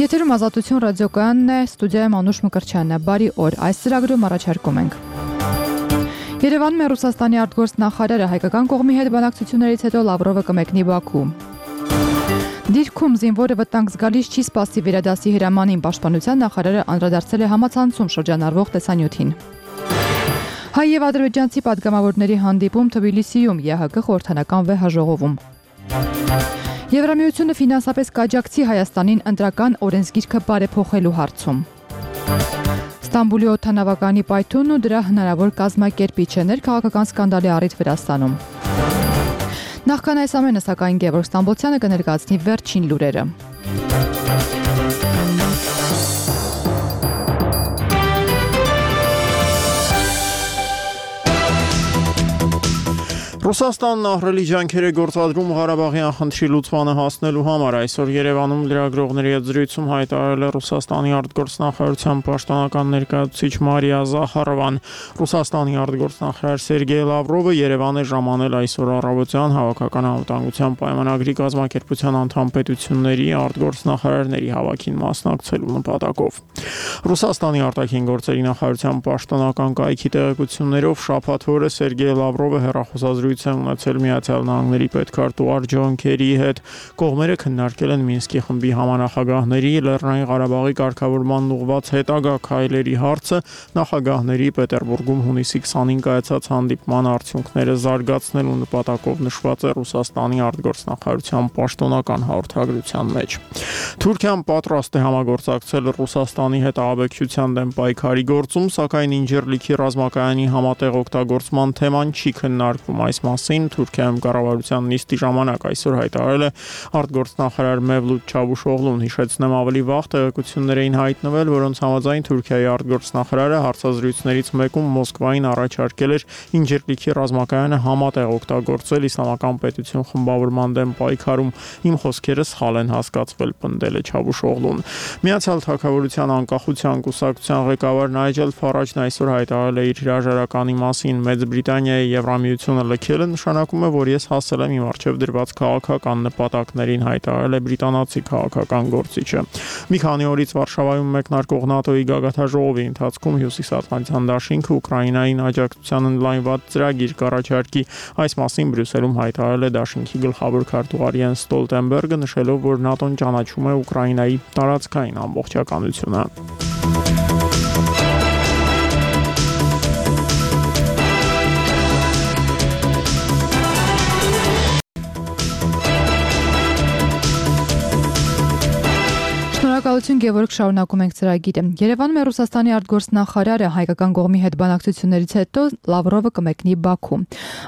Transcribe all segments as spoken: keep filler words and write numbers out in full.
Եթերում Ազատություն ռադիոկայանն է, ստուդիայում Անուշ Մկրտչյանն է։ Բարի օր։ Այս ծրագրում առաջարկում ենք. Երևանում է Ռուսաստանի արտգործնախարարը, հայկական կողմի հետ բանակցություններից հետո Լավրովը կմեկնի Բաքու։ Դիրքում զինվորը վտանգ զգալից չի սպասի վերադասի հրամանին, պաշտպանության նախարարը անդրադարձել է համացանցում շրջանառվող տեսանյութին։ Հայ եւ ադրբեջանցի պատգամավորների հանդիպում Թբիլիսիում ԵՀԿ խորհրդանական վեհաժողովում։ Եվրամիությունը ֆինանսապես կաջակցի Հայաստանին ընտրական օրենսգիրքը բարեփոխելու հարցում։ Ստամբուլի օդանավականի պայթյունն ու դրա հնարավոր կազմակերպիչը ներքաղաքական սկանդալի առիթ Վրաստանում։ Նախքան այս ամենը, սակայն Գևորգ Ստամբոլցյանը կներկայացնի վերջին լուրերը։ Ռուսաստանն ահռելի ջանքեր է գործադրում Ղարաբաղյան խնդրի լուծմանը հասնելու համար։ Այսօր Երևանում լրագրողների հետ զրույցում հայտարարել է Ռուսաստանի արտգործնախարարության պաշտոնական ներկայացուցիչ Մարիա Զախարովան։ Ռուսաստանի արտգործնախարար Սերգեյ Լավրովը Երևան է ժամանել այսօր առավոտյան Հավաքական անվտանգության պայմանագրի կազմակերպության անդամ պետությունների արտգործնախարարների հավաքին մասնակցելու նպատակով։ Ռուսաստանի արտաքին գործերի նախարարության պաշտոնական կայքի տեղեկություններով շաբաթ օրը Սերգեյ Լավրովը հեռախոսազրույց ունեցել Միացյալ Նահանգների պետքարտուղար Ջոն Քերիի հետ։ Կողմերը քննարկել են Մինսկի խմբի համանախագահների Լեռնային Ղարաբաղի կարգավորման ուղղված հետագա քայլերի հարցը, նախագահների Պետերբուրգում հունիսի քսանին կայացած հանդիպման արդյունքները զարգացնելու նպատակով նշված է Ռուսաստանի արտգործնախարարության պաշտոնական հաղորդագրության մեջ։ Թուրքիան պատրաստ է համագործակցել Ռուսաստանի հետ ահաբեկչության դեմ պայքարի գործում, սակայն Ինջիրլիքի ռազմակայանի համատեղ օգտագործման թեման չի քննարկվում։ Այս մասին Թուրքիայում կառավարության նիստի ժամանակ այսօր հայտարարել է արտգործնախարար Մևլութ Չավուշօղլուն։ Հիշեցնեմ, ավելի վաղ տեղեկություններ էին հայտնվել, որոնց համաձայն Թուրքիայի արտգործնախարարը հարցազրույցներից մեկում Մոսկվային առաջարկել էր Ինջիրլիքի ռազմակայանը համատեղ օգտագործել իսլամական պետություն խմբավորման դեմ պայքարում։ Իմ խոսքերը սխալ են հասկացվել, պնդել է Չավուշօղլուն։ Միացյալ Թագավորության անկախության կուսակցության ղեկավար Նայջել Ֆարաջն այսօր հայտարարել է իր հրաժարականի մասին։ Մեծ Բրիտանիայի Եվրամիությունը լքելը նշանակում է, որ ես հասել եմ իմ առջև դրված քաղաքական նպատակներին, հայտարարել է բրիտանացի քաղաքական գործիչը։ Մի քանի օրից Վարշավայում մեկնարկող ՆԱՏՕ-ի գագաթնաժողովի ընթացքում Հյուսիսատլանտյան դաշինքը Ուկրաինային աջակցության ընդլայնված ծրագիր կառաջարկի։ Այս մասին Բրյուսելում հայտարարել է դաշինքի գլխավոր քարտուղար Յենս Ստոլտենբերգը, նշելով, որ ՆԱՏՕ-ն ճանաչում է Ուկրաինայի տարածքային ամբողջականությունը։ Շնորհակալություն, Գևորգ, շարունակում ենք ծրագիրը։ Երևանում է Ռուսաստանի արտգործնախարարը, հայկական կողմի հետ բանակցություններից հետո Լավրովը կմեկնի Բաքու։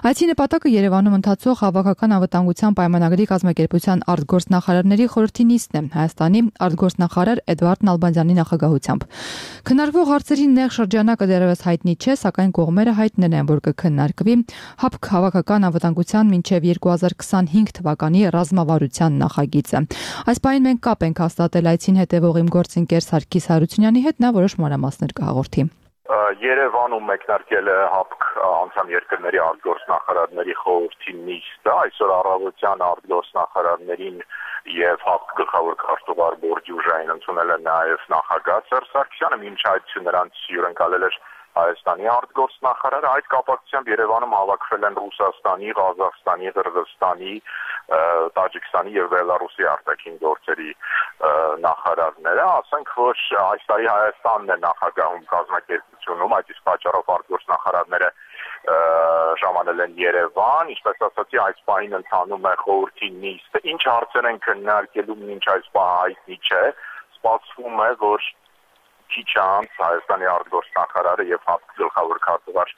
Այցի նպատակը Երևանում ընթացող Հավաքական անվտանգության պայմանագրի կազմակերպության արտգործնախարարների խորհրդի նիստն է, Հայաստանի արտգործնախարար Էդվարդ Նալբանդյանի նախագահությամբ։ Քննարկվող հարցերի նեղ շրջանակը դեռևս հայտնի չէ, սակայն կողմերը հայտնել են, որ կքննարկվի ՀԱՊԿ Հավաքական անվտանգության մինչև երկու հազար քսանհինգ թվականի ռազմավարության նախագիծը։ Այս պահին մենք կապ ենք հաստատել այցին հետևող իմ գործընկեր Սարգիս Հարությունյանի հետ, նա որոշ մանրամասներ կհաղորդի։ Երևանում մեկնարկել է ՀԱՊԿ անդամ երկրների արտգործնախարարների խորհրդի նիստը, այսօր առավոտյան արտգործնախարարներին եւ ՀԱՊԿ գլխավոր քարտուղար Բորդյուժային ընդունել է նաեւ նախագահ Սերժ Սարգսյանը, մինչ այդ նրանց հյուրընկալել էր Հայաստանի արտգործնախարարը։ Այդ կապակցությամբ Երևանում հավաքվել են Ռուսաստանի, Ղազախստանի, Ղրղզստանի, Տաջիկստանի եւ Բելարուսի արտաքին գործերի նախարարները, ասենք, որ այս տարի Հայաստանն է նախագահում կազմակերպությունում, այդ իսկ պատճառով արտգործնախարարները ժամանել են Երևան, ինչպես ասացի, այս պահին ընթանում է խորհրդի նիստը, ինչ հարցեր են քննարկելու, մինչ այս պահը հայտնի չէ, սպասվում է, որ քիչ անց Հայաստանի արտգործնախարարը եւ ՀԱՊԿ գլխավոր քարտուղար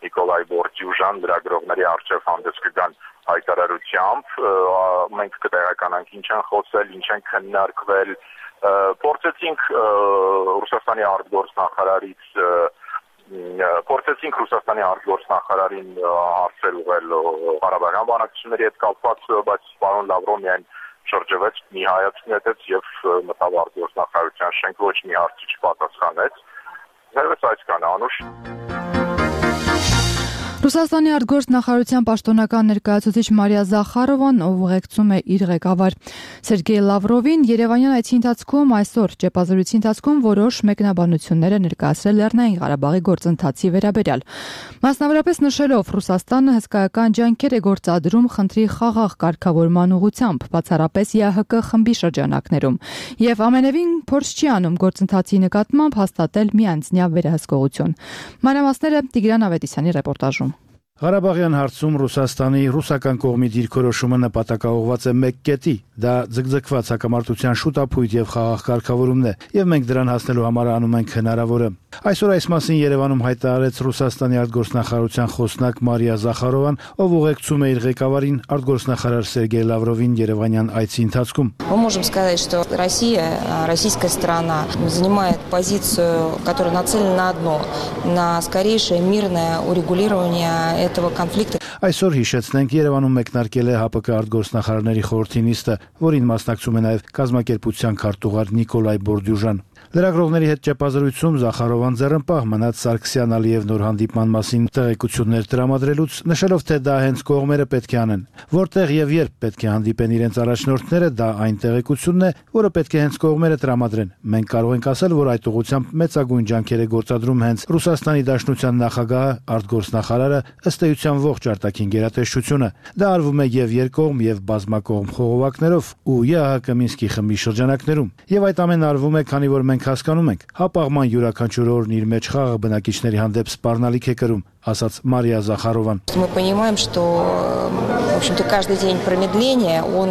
Նիկոլայ Բորդյուժան լրագրողների առջև հանդես կգան հայտարարությամբ, մենք կտեղեկանանք ինչ են խոսել, ինչ են քննարկվել, փորձեցինք Ռուսաստանի արտգործնախարարից փորձեցինք Ռուսաստանի արտգործնախարարին հարցեր ուղղել Ղարաբաղյան բանակցությունների հետ կապված, բայց պարոն Լավրովը միայն շրջվեց, մի հայացք նետեց եւ մտավ արտգործնախարարության շենք, ոչ մի հարցի չպատասխանեց։ Դեռևս այսքան, Անուշ։ Ռուսաստանի արտգործնախարարության պաշտոնական ներկայացուցիչ Մարիա Զախարովան, ով ուղեկցում է իր ղեկավար Սերգեյ Լավրովին, Երևանյան այցի ընթացքում այսօր ճեպազրույցի ընթացքում որոշ մեկնաբանություններ է ներկայացրել Լեռնային Ղարաբաղի գործընթացի վերաբերյալ։ Մասնավորապես նշելով Ռուսաստանը հսկայական ջանքեր է գործադրում խնդրի խաղաղ կարգավորման ուղղությամբ, բացառապես ԵԱՀԿ խմբի շրջանակներում, եւ ամենևին փորձ չի անում գործընթացի նկատմամբ հաստատել միանձնյա վերահսկողություն։ Մանրամասները Տիգրան Ավետիսյանի ռեպորտաժում։ Ղարաբաղյան հարցում Ռուսաստանի ռուսական կողմի դիրքորոշումը նպատակաուղղված է մեկ կետի, դա ձգձգված հակամարտության շուտափույթ եւ խաղաղ կարգավորումն է, եւ մենք դրան հասնելու համար անում ենք հնարավորը։ Այսօր այս մասին Երևանում հայտարարեց Ռուսաստանի արտգործնախարարության խոսնակ Մարիա Զախարովան, ով ուղեկցում է իր ղեկավարին արտգործնախարար Սերգեյ Լավրովին Երևանյան այցի ընթացքում։ Мы можем сказать, что Россия, российская сторона занимает позицию, которая нацелена на одно, на скорейшее мирное урегулирование этого конфликта. Այսօր հիշեցնենք Երևանում մեկնարկել է ՀԱՊԿ արտգործնախարարների խորհրդի նիստը, որին մասնակցում է նաև կազմակերպության քարտուղար Նիկոլայ Բորդյուժան։ Լրագրողների հետ ճեպազրույցում Զախարովան ձեռնպահ մնաց Սարգսյան-Ալիև նոր հանդիպման մասին տեղեկություններ տրամադրելուց, նշելով, թե դա հենց կողմերը պետք է անեն։ Որտեղ եւ երբ պետք է հանդիպեն իրենց առաջնորդները, դա այն տեղեկությունն է, որը պետք է հենց կողմերը տրամադրեն։ Մենք կարող ենք ասել, որ այդ ուղղությամբ մեծագույն ջանքեր է գործադրում հենց Ռուսաստանի Դաշնության նախագահը, արտգործնախարարը, ըստ էության ողջ արտաքին գերատեսչությունը։ Դա արվում է եւ երկկողմ եւ բազմակողմ խողովակներով ու ԵԱՀԿ Մինսկի խմբի շրջանակներում։ Եվ այդ ամենը արվում է, քանի որ մենք հասկանում ենք, հապաղման յուրաքանչյուր օրն իր մեջ խաղաղ բնակիչների հանդեպ սպառնալիք է կրում, ասաց Մարիա Զախարովան։ Мы понимаем, что, в общем-то, каждый день промедления он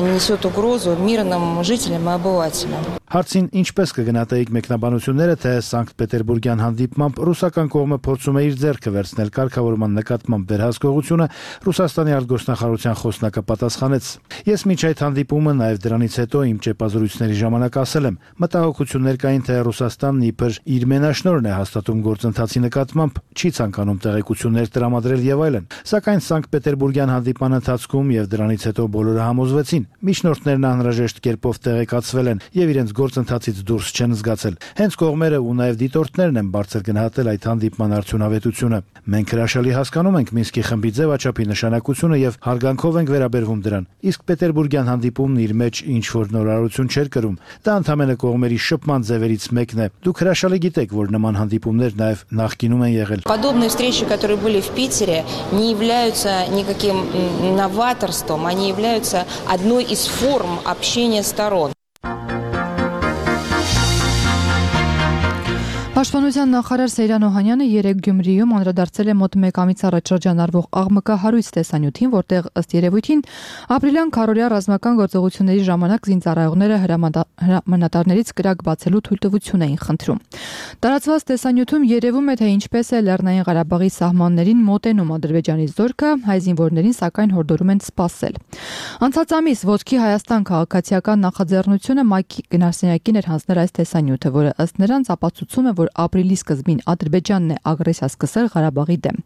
несет угрозу мирным жителям и обывателям. Հարցին ինչպես կգնահատեիք մեկնաբանությունները, թե Սանկտ Պետերբուրգյան հանդիպմամբ ռուսական կողմը փորձում է իր ձեռքը վերցնել կարգավորման նկատմամբ վերահսկողությունը, Ռուսաստանի արտգործնախարարության խոսնակը պատասխանեց. Ես մինչ այդ հանդիպումը, նաև դրանից հետո իմ ճեպազրույցների ժամանակ ասել եմ, մտահոգություններ կային, թե Ռուսաստանն իբր իր մենաշնորհն է հաստատում գործընթացի նկատմամբ, չի ցանկանում տեղեկություններ տրամադրել եւ այլն։ Սակայն Սանկտ Պետերբուրգյան հանդիպման ընթացքում եւ դրանից հետո բոլորը համոզվեցին, միջնորդներն անհրաժեշտ կերպով տեղեկացվել են եւ իրենց գործընթացից դուրս չեն զգացել։ Հենց կողմերը ու նաև դիտորդներն են բարձր գնահատել այդ հանդիպման արդյունավետությունը։ Մենք հրաշալի հասկանում ենք Մինսկի խմբի ձևաչափի նշանակությունը եւ հարգանքով ենք վերաբերվում դրան։ Իսկ Պետերբուրգյան հանդիպումն իր մեջ ինչ որ նորարարություն չէր կրում։ Դա ընդհանրապես կողմերի շփման ձևերից մեկն է։ Դուք հրաշալի գիտեք, որ նման հանդիպումներ նաև նախկինում են եղել։ Подобные встречи, которые были в Питере, не являются никаким новаторством, они являются одной из форм общения сторон. Պաշտպանության նախարար Սեյրան Օհանյանը երեկ Գյումրիում անդրադարձել է մոտ մեկ ամիս առաջ շրջանառվող աղմկահարույց տեսանյութին, որտեղ ըստ երևույթին ապրիլյան քարորյա ռազմական գործողությունների ժամանակ զինծառայողները հրամանատարներից կրակ բացելու թույլտվություն էին խնդրում։ Տարածված տեսանյութում երևում է, թե ինչպես է Լեռնային Ղարաբաղի սահմաններին մոտենում Ադրբեջանի զորքը, հայ զինվորներին սակայն հորդորում են սպասել։ Անցած ամիս Ոտքի Հայաստան քաղաքացիական նախաձեռնությունը ՄԱԿ-ի գնահատակին էր հանձնել այս տեսանյութը, որը ըստ նրանց ապացուցում է, որ ապրիլի սկզբին Ադրբեջանն է ագրեսիա սկսել Ղարաբաղի դեմ։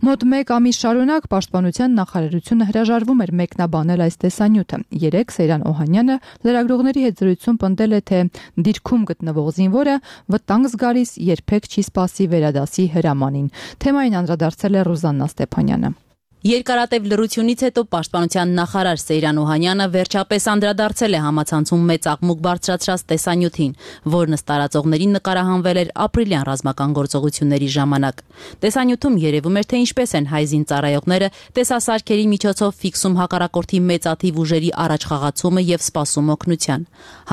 Մոտ մեկ ամիս շարունակ Պաշտպանության նախարարությունը հրաժարվում էր մեկնաբանել այս տեսանյութը։ Երեկ Սեյրան Օհանյանը լրագրողների հետ զրույցում պնդել է, թե դիրքում գտնվող զինվորը վտանգ զգալիս երբեք չի սպասի վերադասի հրամանին։ Թեմային անդրադարձել է Ռուզաննա Ստեփանյանը։ Երկարատև լրությունից հետո Պաշտպանության նախարար Սեյրան Օհանյանը վերջապես անդրադարձել է համացանցում մեծ աղմուկ բարձրացրած տեսանյութին, որն ըստ տարածողներին նկարահանվել էր ապրիլյան ռազմական գործողությունների ժամանակ։ Տեսանյութում երևում էր, թե ինչպես են հայ զինծառայողները տեսասարքերի միջոցով ֆիքսում հակառակորդի մեծաթիվ ուժերի առաջխաղացումը եւ սպասում օգնության։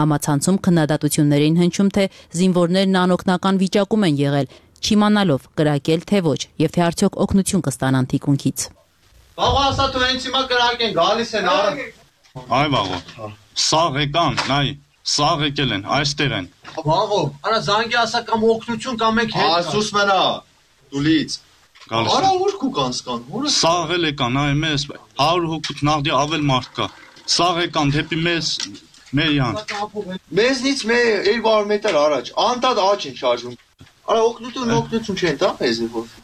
Համացանցում քննադատություններ էին հնչում, թե զինվորներն անօգնական վիճակում են եղել, չիմանալով կրակել թե ոչ, եւ թե արդյոք օգնություն կստանան թիկունքից։ Բաղո ասա դու հենց հիմա կրակ են գալիս են արա։ Այ բաղո։ Սաղ եկան, նայ, սաղ եկել են, այստեղ են։ Բաղո, արա զանգի ասա կամ օգնություն կամ եք հետ։ Ասուս մնա, դուլից։ Գալիս։ Արա ուր կու կանսկան, ուր։ Սաղ էլ եկան, այ մեզ հարյուր հոգուց նաղդի ավել մարդ կա։ Սաղ եկան դեպի մեզ մեյան։ Մեզնից մե երկու մետր առաջ, անտած աճ են շարժում։ Արա օգնություն, օգնություն չեն տա մեզ որ։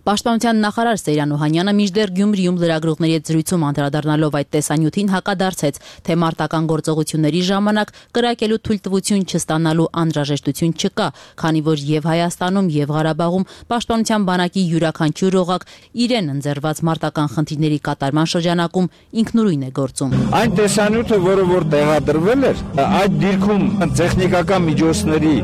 Պաշտպանության նախարար Սեյրան Օհանյանը մինչդեռ Գյումրիում լրագրողների հետ զրույցում անդրադառնալով այդ տեսանյութին հակադարձեց, թե մարտական գործողությունների ժամանակ կրակելու թույլտվություն չստանալու անհրաժեշտություն չկա, քանի որ եւ Հայաստանում եւ Ղարաբաղում պաշտպանության բանակի յուրաքանչյուր օղակ իրեն ընձեռված մարտական խնդիրների կատարման շրջանակում ինքնուրույն է գործում։ Այն տեսանյութը, որը որ տեղադրվել էր, այդ դիրքում տեխնիկական միջոցների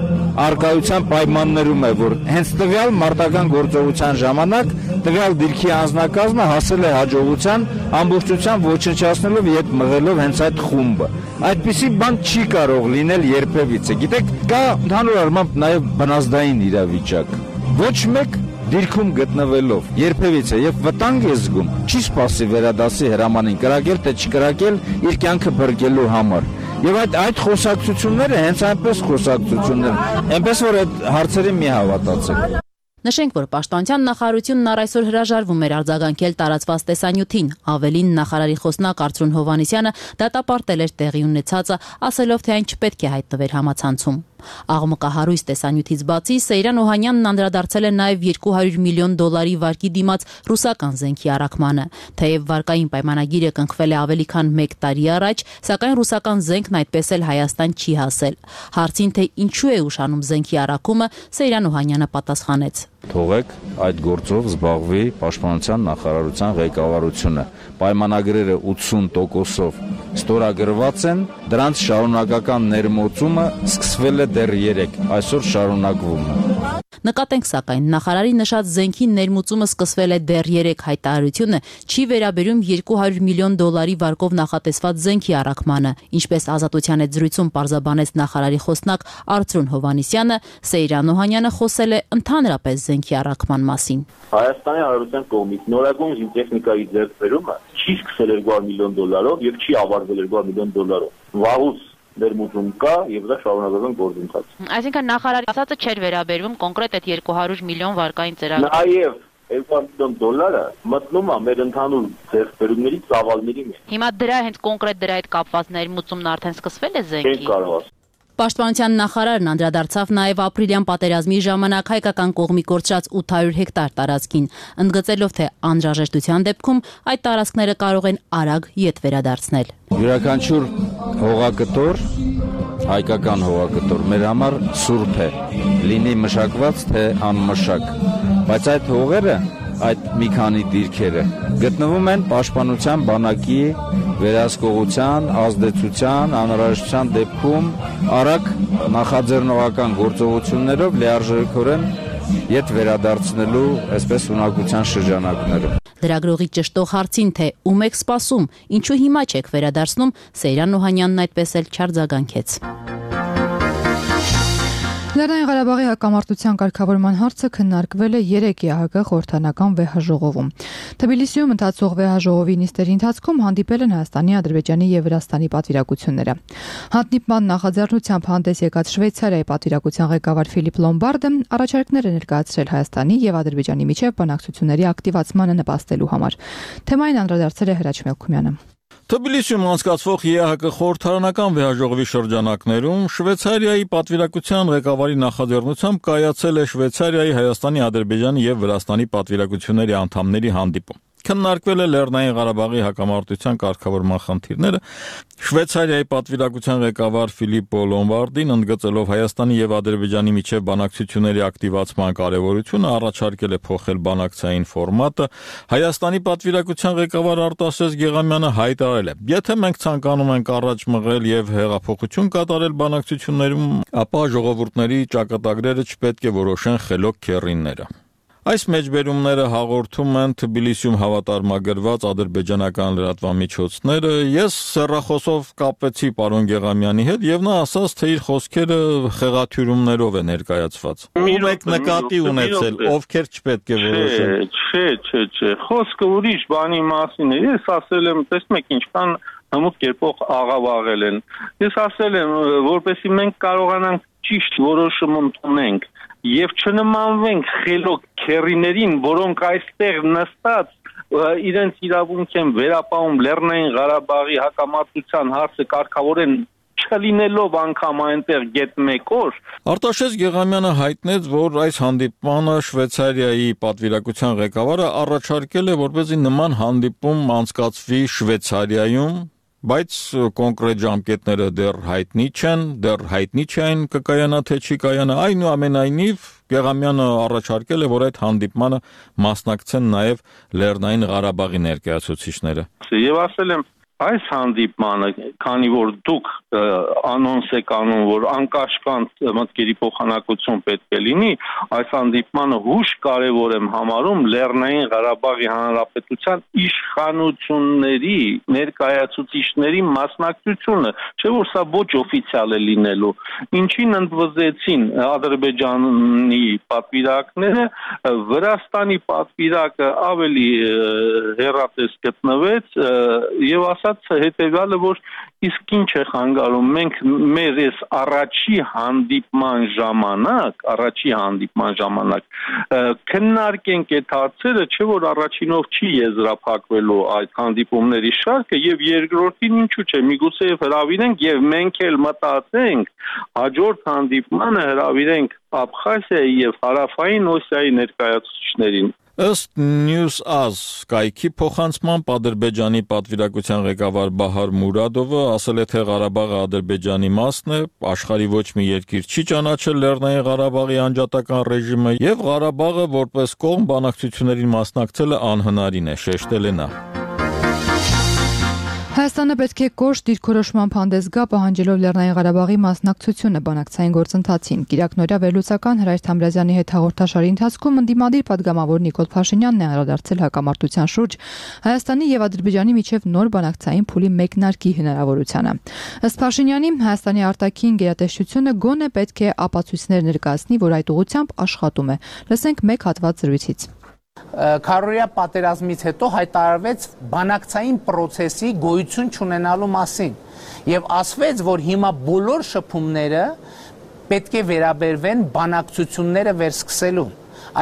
արկայության պայմաններում է, որ հենց տվյալ մարտական գործողության ժամանակ տվյալ դիրքի անձնակազմը հասել է հաջողության ամբողջության ոչնչացնելով եւ մղելով հենց այդ խումբը։ Այդպիսի բան չի կարող լինել երբևիցե։ Գիտեք, կա ընդհանուր առմամբ նաեւ բնազդային իրավիճակ։ Ոչ մեկ դիրքում գտնվելով երբևիցե եւ վտանգ է զգում, չի սպասի վերադասի հրամանին կրակել թե չկրակել իր կյանքը բրկելու համար։ Եվ այդ այդ խոսակցությունները հենց այնպես խոսակցություններ, այնպես որ այդ հարցերին մի հավատացեք։ Նշենք, որ Պաշտպանության նախարարությունն առ այսօր հրաժարվում էր արձագանքել տարածված տեսանյութին, ավելին նախարարի խոսնակ Արծրուն Հովհաննիսյանը դատապարտել էր տեղի ունեցածը, ասելով, թե այն չպետք է հայտնվեր համացանցում։ Աղմկահարույց տեսանյութից բացի Սեյրան Օհանյանն անդրադարձել է նաև երկու հարյուր միլիոն դոլարի վարկի դիմաց ռուսական զենքի առաքմանը։ Թեև վարկային պայմանագիրը կնքվել է ավելի քան մեկ տարի առաջ, սակայն ռուսական զենքն այդպես էլ Հայաստան չի հասել։ Հարցին, թե ինչու է ուշանում զենքի առաքումը, Սեյրան Օհանյանը պատասխանեց. Թողեք այդ գործով զբաղվի Պաշտպանության նախարարության ղեկավարությունը։ Պայմանագրերը ութսուն տոկոսով ստորագրված են, դրանց շարունակական ներմուծումը սկսվել է դեռ երեկ, այսօր շարունակվում է։ Նկատենք, սակայն, նախարարի նշած զենքի ներմուծումը սկսվել է դեռ երեկ հայտարարությունը չի վերաբերում երկու հարյուր միլիոն դոլարի վարկով նախատեսված զենքի առաքմանը, ինչպես Ազատության հետ զրույցում պարզաբանեց նախարարի խոսնակ Արծրուն Հովհաննիսյանը, Սեյրան Օհանյանը խոսել է ընդհանրապես զենքի առաքման մասին։ Հայաստանի Հանրապետության կողմից նորագույն զինտեխնիկայի ձեռքբերումը չի սկսել երկու հարյուր միլիոն դոլարով եւ չի ավարտվել երկու հարյուր միլիոն դոլարով։ Վաղուց ներմուծում կա եւ դա շարունակական գործընթաց։ Այսինքն նախարարի ասածը չէր վերաբերվում կոնկրետ այդ երկու հարյուր միլիոն վարկային ծրագրին։ Նաեւ երկու հարյուր միլիոն դոլարը մտնում է մեր ընդհանուր ձեռքբերումների ծավալների մեջ։ Հիմա դրա հենց կոնկրետ դրա հետ կապված ներմուծումն արդեն սկսվել է զենքի։ Չեն կարող։ Պաշտպանության նախարարն անդրադարձավ նաև ապրիլյան պատերազմի ժամանակ հայկական կողմի կորցրած ութ հարյուր հեկտար տարածքին, ընդգծելով, թե անհրաժեշտության դեպքում այդ տարածքները կարող են արագ ետ վերադարձնել։ Յուրաքանչյուր հողակտոր, հայկական հողակտոր մեր համար սուրբ է, լինի մշակված թե անմշակ, բայց այդ հողերը, այդ մի քանի դիրքերը գտնվում են Պաշտպանության բանակի վերահսկողության, ազդեցության, անհրաժեշտության դեպքում արագ նախաձեռնողական գործողություններով լիարժեքորեն ետ վերադարձնելու այսպես ունակության շրջանակները։ Լրագրողի ճշտող հարցին, թե ում եք սպասում, ինչու հիմա չեք վերադարձնում, Սեյրան Օհանյանն այդպես էլ չարձագանքեց։ Լեռնային Ղարաբաղի հակամարտության կարգավորման հարցը քննարկվել է երեկ Է Ահ Գ խորհրդանական վեհաժողովում։ Թբիլիսիում ընթացող վեհաժողովի նիստերի ընթացքում հանդիպել են Հայաստանի, Ադրբեջանի եւ Վրաստանի պատվիրակությունները։ Հանդիպման նախաձեռնությամբ հանդես եկած Շվեյցարիայի պատվիրակության ղեկավար Ֆիլիպ Լոմբարդը առաջարկներ է ներկայացրել Հայաստանի եւ Ադրբեջանի միջև բանակցությունների ակտիվացմանը նպաստելու համար։ Թեմային անդրադարձել է Հրաչ Մելքումյանը։ Թբիլիսիում անցկացվող Է Ահ Գ խորհրդարանական վեհաժողովի շրջանակներում Շվեյցարիայի պատվիրակության ղեկավարի նախաձեռնությամբ կայացել է Շվեյցարիայի, Հայաստանի, Ադրբեջանի եւ Վրաստանի պատվիրակությունների անդամների հանդիպում։ Քննարկվել է Լեռնային Ղարաբաղի հակամարտության կարգավորման խնդիրները։ Շվեյցարիայի պատվիրակության ղեկավար Ֆիլիպո Լոմբարդին ընդգծելով Հայաստանի եւ Ադրբեջանի միջև բանակցությունների ակտիվացման կարեւորությունը առաջարկել է փոխել բանակցային ֆորմատը։ Հայաստանի պատվիրակության ղեկավար Արտաշես Գեղամյանը հայտարարել է. «Եթե մենք ցանկանում ենք առաջ մղել եւ հեղափոխություն կատարել բանակցություններում, ապա ժողովուրդների ճակատագրերը չպետք է որոշեն խելոք քեռիները»։ Այս մեջբերումները հաղորդում են Թբիլիսիում հավատարմագրված ադրբեջանական լրատվամիջոցները։ Ես սեռախոսով կապվեցի պարոն Գեղամյանի հետ եւ նա ասաց, թե իր խոսքերը խեղաթյուրումներով է ներկայացված։ Ում եք նկատի ունեցել, ովքեր չպետք է որոշեն։ Չէ, չէ, չէ, խոսքը ուրիշ բանի մասին է։ Ես ասել եմ, տեսնում եք ինչքան հմուտ կերպով աղավաղել են։ Ես ասել եմ, որպեսզի մենք կարողանանք ճիշտ որոշում ընդունենք եւ չնմանվենք խելոք քեռիներին, որոնք այստեղ նստած իրենց իրավունք են վերապահում Լեռնային Ղարաբաղի հակամարտության հարցը կարգավորեն չլինելով անգամ այնտեղ գետ մեկ օր։ Արտաշես Գեղամյանը հայտնեց, որ այս հանդիպմանը Շվեյցարիայի պատվիրակության ղեկավարը առաջարկել է, որպեսզի նման հանդիպում անցկացվի Շվեյցարիայում, բայց կոնկրետ ժամկետները դեռ հայտնի չեն, դեռ հայտնի չեն կկայանա թե չի կայանա, այնուամենայնիվ Գեղամյանը առաջարկել է, որ այդ հանդիպմանը մասնակցեն նաև Լեռնային Ղարաբաղի ներկայացուցիչները։ Եվ ասել եմ, այս հանդիպմանը, քանի որ դուք անոնս եք անում, որ անկաշկանդ մտքերի փոխանակություն պետք է լինի, այս հանդիպմանը հուշ կարևոր եմ համարում Լեռնային Ղարաբաղի Հանրապետության իշխանությունների, ներկայացուցիչների մասնակցությունը, չէ՞ որ սա ոչ օֆիցիալ է լինելու, ինչին ընդվզեցին Ադրբեջանի պատվիրակները, Վրաստանի պատվիրակը ավելի հեռատես գտնվեց եւ ասաց հետեւյալը, որ իսկ ինչ է խանգարում, մենք մեր այս առաջի հանդիպման ժամանակ, առաջի հանդիպման ժամանակ քննարկենք այդ հարցերը, չէ՞ որ առաջինով չի եզրափակվելու այդ հանդիպումների շարքը եւ երկրորդին ինչու՞ չէ, միգուցե հրավիրենք եւ մենք էլ մտածենք հաջորդ հանդիպմանը հրավիրենք Աբխազիայի եւ Հարավային Օսիայի ներկայացուցիչներին։ Ըստ News.az կայքի փոխանցմամբ Ադրբեջանի պատվիրակության ղեկավար Բահար Մուրադովը ասել է, թե Ղարաբաղը Ադրբեջանի մասն է, աշխարհի ոչ մի երկիր չի ճանաչել Լեռնային Ղարաբաղի անջատական ռեժիմը եւ Ղարաբաղը որպես կողմ բանակցություններին մասնակցելը անհնարին է, շեշտել է նա։ Հայաստանը պետք է կոշտ դիրքորոշման հանդես գա, պահանջելով Լեռնային Ղարաբաղի մասնակցությունը բանակցային գործընթացին։ Կիրակնօրյա վերլուծական Հրայր Թամրազյանի հետ հաղորդաշարի ընթացքում ընդդիմադիր պատգամավոր Նիկոլ Փաշինյանն է անդրադարձել հակամարտության շուրջ Հայաստանի եւ Ադրբեջանի միջև նոր բանակցային փուլի մեկնարկի հնարավորությանը։ Ըստ Փաշինյանի, Հայաստանի արտաքին գերատեսչությունը գոնե պետք է ապացույցներ ներկայացնի, որ այդ ուղղությամբ աշխատում է։ Լսենք մեկ հատված զրույցից։ Քարորիա պատերազմից հետո հայտարարվեց բանակցային process-ի գոյություն չունենալու մասին եւ ասվեց, որ հիմա բոլոր շփումները պետք է վերաբերվեն բանակցությունները վերսկսելուն։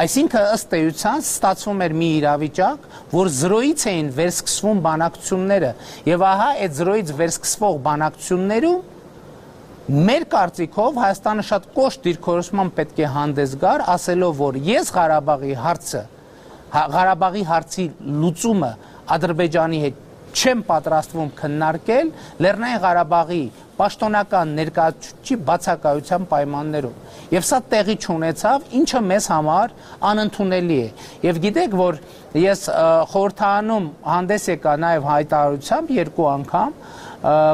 Այսինքն ըստ էության ստացվում էր մի իրավիճակ, որ զրոյից էին վերսկսվում բանակցությունները եւ ահա այդ զրոյից վերսկսվող բանակցություններում մեր կարծիքով Հայաստանը շատ կոշտ դիրքորոշման պետք է հանդես գար, ասելով, որ ես Ղարաբաղի հարցը Ղարաբաղի հարցի լուծումը Ադրբեջանի հետ չեմ պատրաստվում քննարկել Լեռնային Ղարաբաղի պաշտոնական ներկայացուցիչի բացակայության պայմաններում։ Եվ սա տեղի չունեցավ, ինչը մեզ համար անընդունելի է։ Եվ գիտեք, որ ես խորհրդարանում հանդես եկա նաև հայտարարությամբ երկու անգամ,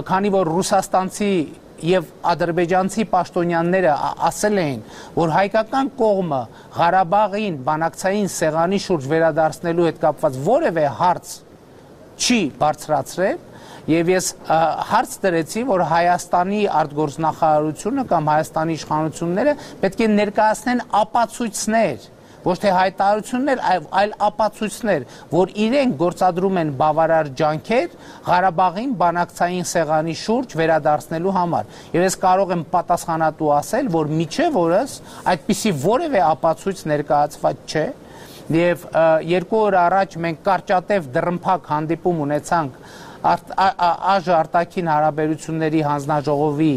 քանի որ ռուսաստանցի եւ ադրբեջանցի պաշտոնյաները ասել էին, որ հայկական կողմը Ղարաբաղին բանակցային սեղանի շուրջ վերադարձնելու հետ կապված որևէ հարց չի բարձրացրել եւ ես հարց դրեցի, որ Հայաստանի արտգործնախարարությունը կամ Հայաստանի իշխանությունները պետք է ներկայացնեն ապացույցներ, ոչ թե հայտարարություններ, այլ ապացույցներ, որ իրենք գործադրում են բավարար ջանքեր Ղարաբաղին բանակցային սեղանի շուրջ վերադարձնելու համար։ Եվ ես կարող եմ պատասխանատու ասել, որ միջև օրս այդպիսի որևէ ապացույց ներկայացված չէ։ Եվ երկու օր առաջ մենք կարճատև դռնփակ հանդիպում ունեցանք ԱԺ արտաքին հարաբերությունների հանձնաժողովի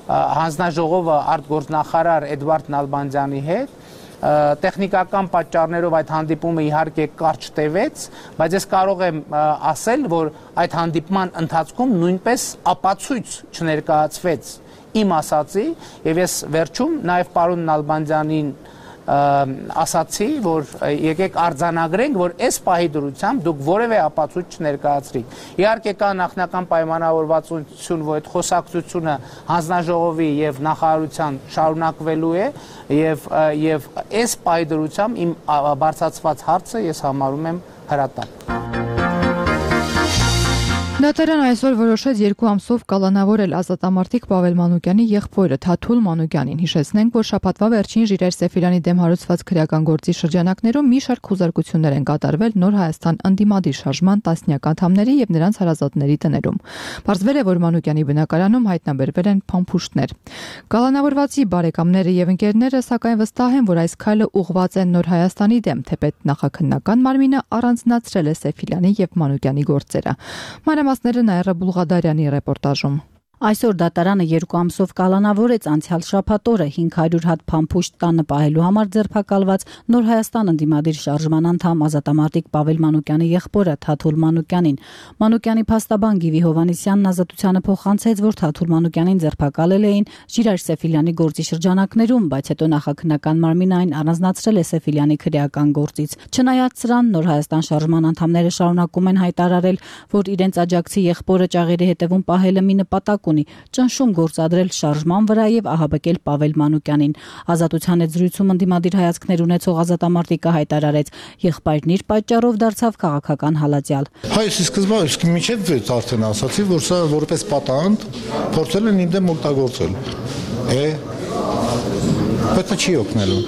հանձնաժողովը արտգործնախարար Էդվարդ Նալբանդյանի հետ։ Տեխնիկական պատճառներով այդ հանդիպումը իհարկե կարճ տևեց, բայց ես կարող եմ ասել, որ այդ հանդիպման ընթացքում նույնպես ապացույց չներկայացվեց իմ ասացի, եւ ես վերջում նաեւ պարոն Նալբանդյանին ասացի, որ եկեք արձանագրենք, որ այս պահի դրությամբ դուք որևէ ապացույց չներկայացրիք։ Իհարկե կա նախնական պայմանավորվածություն, որ այդ խոսակցությունը հանձնաժողովի եւ նախարարության շարունակվելու է եւ եւ այս պահի դրությամբ իմ բարձրացված հարցը ես համարում եմ հրատապ։ Դատարան այսօր որոշեց երկու ամսով կալանավորել ազատամարտիկ Պավել Մանուկյանի եղբորը Թաթուլ Մանուկյանին։ Հիշեցնենք, որ շաբաթվա վերջին Ժիրայր Սեֆիրյանի դեմ հարուցված քրեական գործի շրջանակներում մի շարք խուզարկություններ են կատարվել Նոր Հայաստան ընդդիմադիր շարժման տասնյակ անդամների եւ նրանց հարազատների տներում։ Պարզվել է, որ Մանուկյանի բնակարանում հայտնաբերվել են փամփուշտներ։ Կալանավորվածի բարեկամները եւ ընկերները սակայն վստահ են, որ այս քայլը ուղղված է Նոր Հայաստանի դեմ, թեպետ նախաքննական մարմինը առանձնացրել է Սեֆիրյանի եւ Մանուկյանի գործերը։ Մանրամասները Նաիրա Բուլղադարյանի ռեպորտաժում։ Այսօր դատարանը երկու ամսով կալանավորեց անցյալ շաբաթ օրը հինգ հարյուր հատ փամփուշտ տանը պահելու համար ձերբակալված Նոր Հայաստան ընդդիմադիր շարժման անդամ ազատամարտիկ Պավել Մանուկյանի եղբորը Թաթուլ Մանուկյանին։ Մանուկյանի փաստաբան Գիվի Հովհաննիսյանն ազատությանը փոխանցեց, որ Թաթուլ Մանուկյանին ձերբակալել էին Ժիրայր Սեֆիլյանի գործի շրջանակներում, բայց հետո նախաքննական մարմինը այն առանձնացրել է Սեֆիլյանի քրեական գործից։ Չնայած սրան, Նոր Հայաստան շարժման անդամները շարունակում են հայտարարել, որ իրենց աջակցի եղբորը ճաղերի հետևում պահելը մի նպատակ ունի՝ ճնշում գործադրել շարժման վրա եւ ահաբեկել Պավել Մանուկյանին։ Ազատության հետ զրույցում ընդդիմադիր հայացքներ ունեցող ազատամարտիկը հայտարարեց, եղբայրն իր պատճառով դարձավ քաղաքական հալածյալ։ Հայ սկզբում իսկ միջև արդեն ասացի, որ սա որպես պատանդ փորձել են ինձ օգտագործել։ Է Պետք չի օգնելու։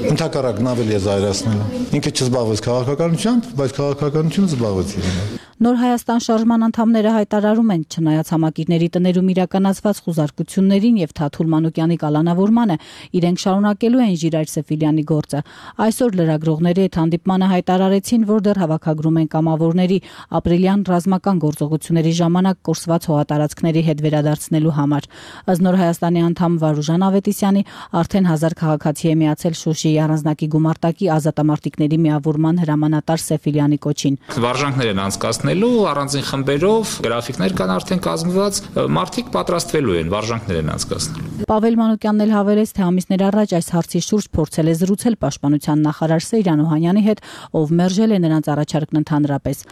Ընդհակառակն ավելի է զայրացնելու։ Ինքը չզբաղվեց քաղաքականությամբ, բայց քաղաքականությունը զբաղվեց իրեն։ Նոր Հայաստան շարժման անդամները հայտարարում են, չնայած համակիրների տներում իրականացված խուզարկություններին եւ Թաթուլ Մանուկյանի կալանավորմանը, իրենք շարունակելու են Ժիրայր Սեֆիլյանի գործը։ Այսօր լրագրողների հետ հանդիպմանը հայտարարեցին, որ դեռ հավաքագրում են կամավորների ապրիլյան ռազմական գործողությունների ժամանակ կորսված հողատարածքների հետ վերադարձնելու համար։ Ըստ Նոր Հայաստանի անդամ Վարուժան Ավետիսյանի, արդեն հազար քաղաքացի է միացել Շուշիի առանձնակի գումարտակի ազատամարտիկների միավորման հրամանատար Սեֆիլյանի կոչին։ Վարժանքներ են անցկացնելու առանձին խմբերով, գրաֆիկներ կան արդեն կազմված, մարդիկ պատրաստվելու են, վարժանքներ են անցկացնելու։ Պավել Մանուկյանն էլ հավելեց, թե ամիսներ առաջ այս հարցի շուրջ փորձել է զրուցել պաշտպանության նախարար Սեյրան Օհանյանի հետ, ով մերժել է նրանց առաջարկն ընդհանրապես։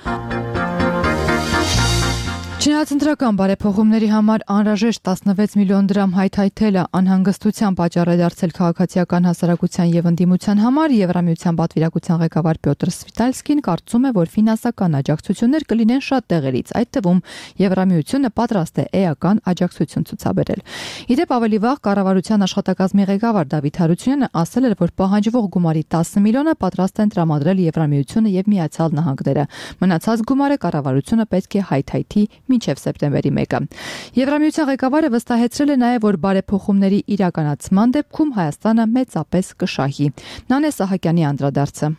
Չնայած ընտրական բարեփոխումների համար անհրաժեշտ տասնվեց միլիոն դրամ հայթայթելը անհանգստության պատճառ է դարձել քաղաքացիական հասարակության եւ ընդդիմության համար, Եվրամիության պատվիրակության ղեկավար Պյոտր Սվիտալսկին կարծում է, որ ֆինանսական աջակցություններ կլինեն շատ տեղերից, այդ թվում Եվրամիությունը պատրաստ է էական աջակցություն ցուցաբերել։ Իդեպ ավելի վաղ կառավարության աշխատակազմի ղեկավար Դավիթ Հարությունյանը ասել էր, որ պահանջվող գումարի տասը միլիոնը պատրաստ են տրամադրել Եվրամիությունը եւ Միացյալ Նահանգները։ Մնացած գումարը կառավարությունը պետք է հայթայթի մինչև սեպտեմբերի մեկը։ Եվրամիության ղեկավարը վստահեցրել է նաև, որ բարեփոխումների իրականացման դեպքում Հայաստանը մեծապես կշահի։ Նանե Սահակյանի անդրադարձը։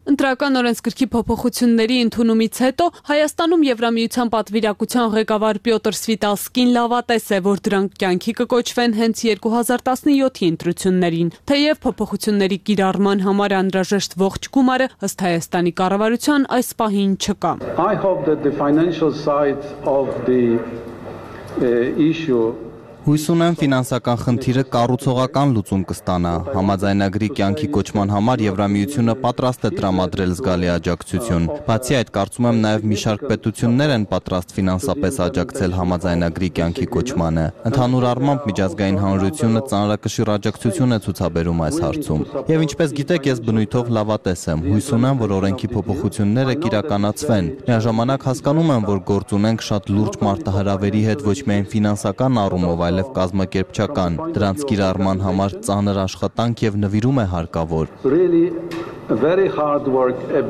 Ընտրական օրենսգրքի փոփոխությունների ընդունումից հետո Հայաստանում Եվրամիության պատվիրակության ղեկավար Պյոտր Սվիտալսկին լավատես է, որ դրանք կյանքի կկոչվեն հենց երկու հազար տասնյոթի ընտրություններին։ Թեև փոփոխությունների կիրառման համար անհրաժեշտ ողջ գումարը ըստ Հայաստանի կառավարության այս պահին չկա։ I hope that the financial side of the uh, issue Հույս ունեմ ֆինանսական խնդիրը կառուցողական լուծում կստանա։ Համաձայնագրի կյանքի կոչման համար Եվրամիությունը պատրաստ է տրամադրել զգալի աջակցություն։ Բացի այդ, կարծում եմ նաև մի շարք պետություններ են պատրաստ ֆինանսապես աջակցել համաձայնագրի կյանքի կոչմանը։ Ընդհանուր առմամբ միջազգային հանրությունը ծանրակշիռ աջակցություն է ցուցաբերում այս հարցում։ Եվ ինչպես գիտեք, ես բնույթով լավատես եմ։ Հույս ունեմ, որ օրենքի փոփոխությունները կիրականացվեն։ Միաժամանակ հասկանում եմ, որ գործ ունենք շատ լուրջ մարտահրավերի հետ ոչ միայն ֆինանսական առումով, այլև կազմակերպչական, դրանց կիրառման համար ծանր աշխատանք եւ նվիրում է հարկավոր։ Really very hard work, a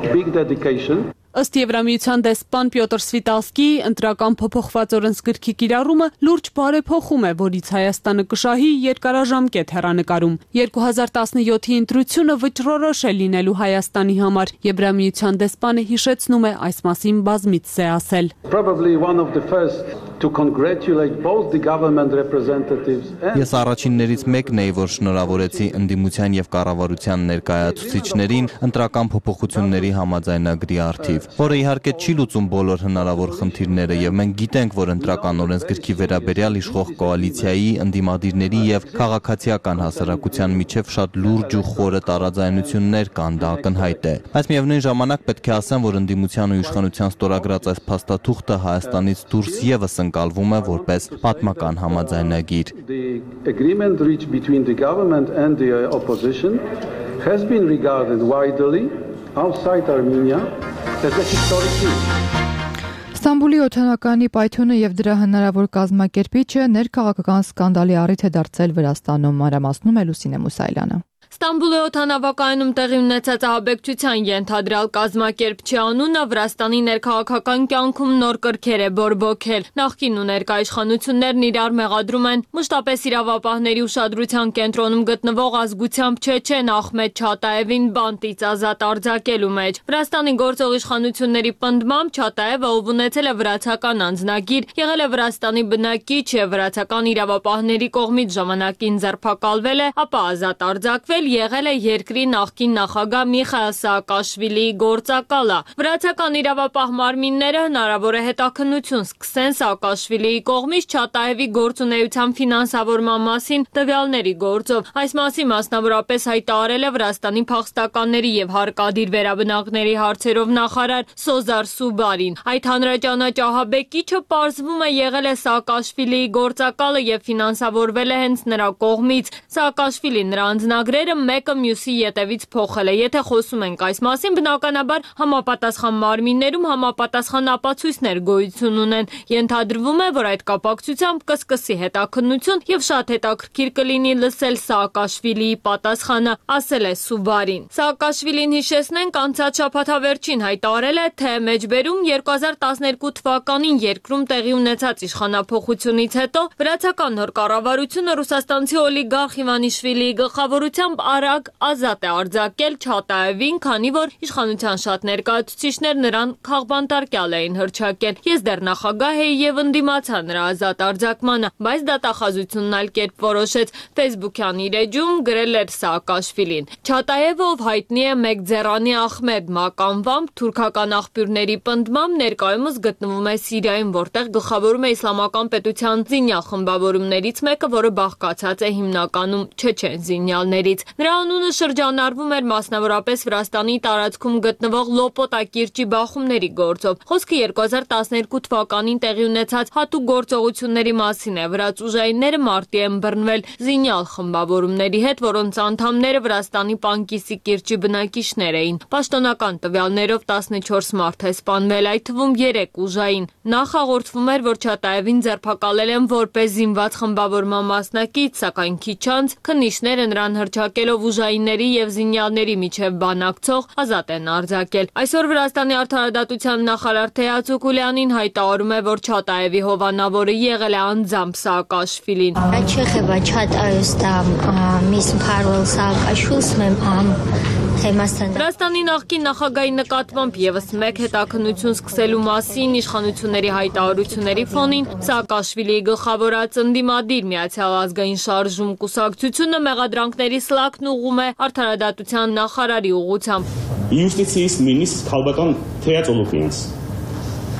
big dedication. Ըստ Եվրամիության դեսպան Պյոտր Սվիտալսկիի ընտրական փոփոխված օրենսգրքի կիրառումը լուրջ բարեփոխում է, որից Հայաստանը կշահի երկարաժամկետ հեռանկարում։ երկու հազար տասնյոթի ընտրությունը վճռորոշ է լինելու Հայաստանի համար։ Եվրամիության դեսպանը հիշեցնում է այս մասին բազմիցս է ասել։ Probably one of the first to congratulate both the government representatives and Ես առաջիններից մեկն էի, որ շնորհավորեցի ընդդիմության եւ կառավարության ներկայացուցիչներին ընտրական փոփոխությունների համաձայնագրի առթիվ, որը իհարկե չի լուծում բոլոր հնարավոր խնդիրները եւ մենք գիտենք, որ ընտրական օրենսգրքի վերաբերյալ իշխող կոալիցիայի, ընդդիմադիրների եւ քաղաքացիական հասարակության միջև շատ լուրջ ու խորը տարաձայնություններ կան, դա ակնհայտ է։ Բայց միևնույն ժամանակ պետք է ասեմ, որ ընդդիմության ու իշխանության ստորագրած այս փաստաթուղթը Հայաստանից դուրս եւս ընկալվում է որպես պատմական համաձայնագիր։ The agreement reached between the government and the opposition has been regarded widely outside Armenia as a historic deal. Ստամբուլի օդանականի պայթյունը եւ դրա հնարավոր կազմակերպիչը ներքաղաքական սկանդալի առիթ է դարձել Վրաստանում, մանրամասնում է Լուսինե Մուսայելյանը։ Ստամբուլի օդանավակայանում տեղի ունեցած ահաբեկչության ենթադրյալ կազմակերպչի անունը Վրաստանի ներքաղաքական կյանքում նոր կրքեր է բորբոքել։ Նախկին ու ներկա իշխանություններն իրար մեղադրում են մշտապես իրավապահների ուշադրության կենտրոնում գտնվող ազգությամբ չեչեն Ախմեդ Չատաևին բանտից ազատ արձակելու մեջ։ Վրաստանի գործող իշխանությունների պնդմամբ Չատաևը, ով ունեցել է վրացական անձնագիր, եղել է Վրաստանի բնակիչ եւ վրացական իրավապահների կողմից ժամանակին ձերբակալվել է, ապա ազատ արձակվել եղել է երկրի նախկին նախագահ Միխայիլ Սաակաշվիլիի գործակալը։ Վրացական իրավապահ մարմինները հնարավոր է հետաքննություն սկսեն Սաակաշվիլիի կողմից Չատաևի գործունեության ֆինանսավորման մասին տվյալների գործով։ Այս մասին մասնավորապես հայտարարել է Վրաստանի փախստականների եւ հարկադիր վերաբնակների հարցերով նախարար Սոզար Սուբարին։ Այդ հանրաճանաչ ահաբեկիչը պարզվում է եղել է Սաակաշվիլիի գործակալը եւ ֆինանսավորվել է հենց նրա կողմից։ Սաակաշվիլին նրա անձնագրերը մեկը մյուսի ետևից փոխել է։ Եթե խոսում ենք այս մասին, բնականաբար համապատասխան մարմիններում համապատասխան ապացույցներ գոյություն ունեն։ Ենթադրվում է, որ այդ կապակցությամբ կսկսի հետաքննություն եւ շատ հետաքրքիր կլինի լսել Սաակաշվիլիի պատասխանը, ասել է Սուբարին։ Սաակաշվիլին, հիշեցնենք, անցած շաբաթավերջին հայտարարել է, թե մեջբերում երկու հազար տասներկու թվականին երկրում տեղի ունեցած իշխանափոխությունից հետո վրացական նոր կառավարությունը ռուսաստանցի օլիգարխ Իվանիշվիլիի գլխավորությամբ արագ ազատ է արձակել Չատաևին, քանի որ իշխանության շատ ներկայացուցիչներ նրան քաղբանտարկյալ էին հռչակել։ Ես դեռ նախագահ էի եւ ընդդիմացա նրա ազատ արձակմանը, բայց դատախազությունն այլ կերպ որոշեց։ Facebook-յան իր էջում գրել էր Սաակաշվիլին։ Չատաևը, ով հայտնի է Մեկձերանի Ախմեդ մականվամբ, թուրքական աղբյուրների պնդմամբ ներկայումս գտնվում է Սիրիայում, որտեղ գլխավորում է իսլամական պետության զինյալ խմբավորումներից մեկը, որը բաղկացած է հիմնականում չեչեն զինյալներից։ Նրա անունը շրջանառվում էր մասնավորապես Վրաստանի տարածքում գտնվող Լոպոտա կիրճի բախումների գործով։ Խոսքը երկու հազար տասներկու թվականին տեղի ունեցած հատուկ գործողությունների մասին է։ Վրաց ուժայինները մարտի են բռնվել զինյալ խմբավորումների հետ, որոնց անդամները Վրաստանի Պանկիսի կիրճի բնակիչներ էին։ Պաշտոնական տվյալներով տասնչորս մարդ է սպանվել, այդ թվում երեք ուժային։ Նախ հաղորդվում էր, որ Չատաևին ձերբակալել են որպես զինված խմբավորման մասնակից, սակայն քիչ անց քննիչները նրան հռչակելով ուժայինների եւ զինյալների միջև բանակցող ազատ են արձակել։ Այսօր Վրաստանի արդարադատության նախարար Թեյաց Ուկուլյանին հայտարարում է, որ Չատաևի հովանավորը եղել է անձամբ Սաակաշվիլին։ Վրաստանի նախկին նախագահի նկատմամբ եւս մեկ հետաքննություն սկսելու մասին իշխանությունների հայտարարությունների ֆոնին Սաակաշվիլիի գլխավորած ընդդիմադիր Միացյալ ազգային շարժում կուսակցությունը մեղադրանքների սլաքն ուղղում է արդարադատության նախարարի ուղղությամբ։ Յուստիցիայից նույնիսկ քաղաքական Թեյաց Օլոֆյանց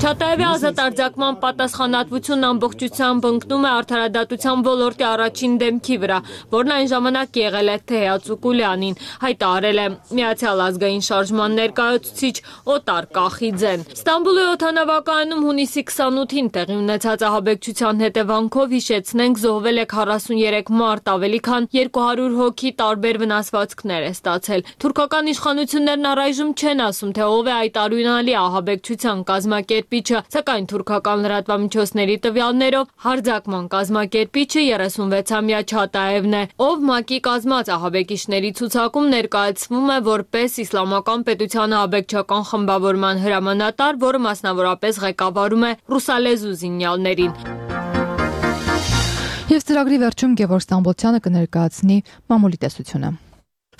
Չատաևի ազատ արձակման պատասխանատվությունն ամբողջությամբ ընկնում է արդարադատության ոլորտի առաջին դեմքի վրա, որն այն ժամանակ եղել է Թեյաց Ուկուլյանին, հայտարարել է Միացյալ ազգային շարժման ներկայացուցիչ Օտար Կախիձեն։ Ստամբուլի օդանավակայանում հունիսի քսանութին տեղի ունեցած ահաբեկչության հետևանքով, հիշեցնենք, զոհվել է քառասուներեք մարդ, ավելի քան երկու հարյուր հոգի տարբեր վնասվածքներ է ստացել։ Թուրքական իշխանություններն առայժմ չեն ասում, թե ով է այդ արյունալի ահաբեկչության կազմակերպիչը, սակայն թուրքական լրատվամիջոցների տվյալներով հարձակման կազմակերպիչը երեսունվեցամյա Չատաևն է, ով ՄԱԿ-ի կազմած ահաբեկիչների ցուցակում ներկայացվում է որպես իսլամական պետության ահաբեկչական խմբավորման հրամանատար, որը մասնավորապես ղեկավարում է ռուսալեզու զինյալներին։ Եվ ծրագրի վերջում Գևորգ Ստամբոլցյանը կներկայացնի մամուլի տեսությունը։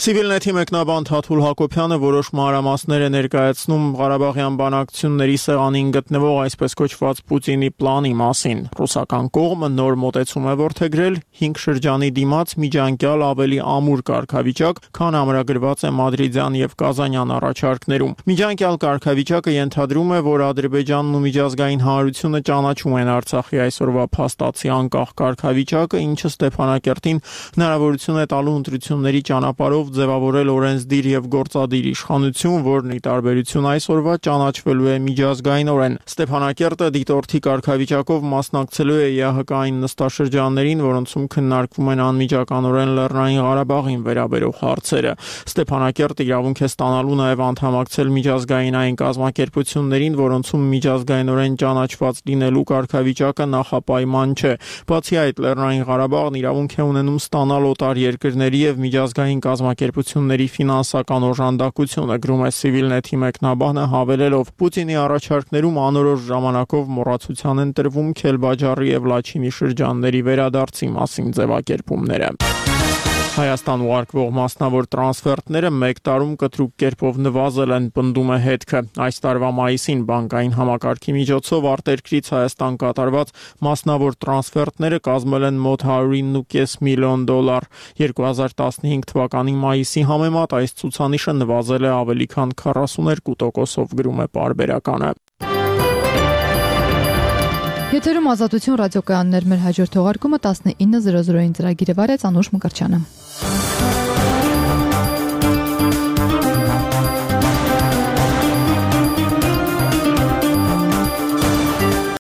Սիվիլնեթի մեկնաբան Թաթուլ Հակոբյանը որոշ մանրամասներ է ներկայացնում Ղարաբաղյան բանակցությունների սեղանին գտնվող այսպես կոչված Պուտինի պլանի մասին։ Ռուսական կողմը նոր մոտեցում է որդեգրել հինգ շրջանի դիմաց միջանկյալ ավելի ամուր կարգավիճակ, քան ամրագրված է Մադրիդյան եւ Կազանյան առաջարկներում։ Միջանկյալ կարգավիճակը ենթադրում է, որ Ադրբեջանն ու միջազգային հանրությունը ճանաչում են Արցախի այսօրվա փաստացի անկախ կարգավիճակը, ինչը Ստեփանակերտին հնարավորություն է տալու ընտրությունների ճանապարհով ձևավորել օրենսդիր եւ գործադիր իշխանություն, որն ի տարբերություն այսօրվա ճանաչվելու է միջազգայինորեն։ Ստեփանակերտը դիտորդի կարգավիճակով մասնակցելու է ԵԱՀԿ-ային նստաշրջաններին, որոնցում քննարկվում են անմիջականորեն Լեռնային Ղարաբաղին վերաբերող հարցերը։ Ստեփանակերտը իրավունք է ստանալու նաեւ անդամակցել միջազգայինային կազմակերպություններին, որոնցում միջազգայինորեն ճանաչված լինելու կարգավիճակը նախապայման չէ։ Բացի այդ, Լեռնային Ղարաբաղն իրավունք է ունենում ստանալ օտար երկրների եւ միջազգային կազմակերպությունների կազմակերպությունների ֆինանսական օժանդակությունը, գրում է Civilnet-ի մեկնաբանը, հավելելով. Պուտինի առաջարկներում անորոշ ժամանակով մոռացության են տրվում Քելբաջարի եւ Լաչինի շրջանների վերադարձի մասին ձևակերպումները։ Հայաստան ուղարկվող մասնավոր տրանսֆերտները մեկ տարում կտրուկ կերպով նվազել են, պնդում է հետքը։ Այս տարվա մայիսին բանկային համակարգի միջոցով արտերկրից Հայաստան կատարված մասնավոր տրանսֆերտները կազմել են մոտ հարյուր ինը կես միլիոն դոլար։ երկու հազար տասնհինգ թվականի մայիսի համեմատ այս ցուցանիշը նվազել է ավելի քան քառասուներկու տոկոսով, գրում է Պարբերականը։ Եթերում Ազատություն ռադիոկայաններ, մեր հաջորդ թողարկումը տասնինը զրո զրոյին ծրագիրը վարեց Անուշ Մկրտչյանը։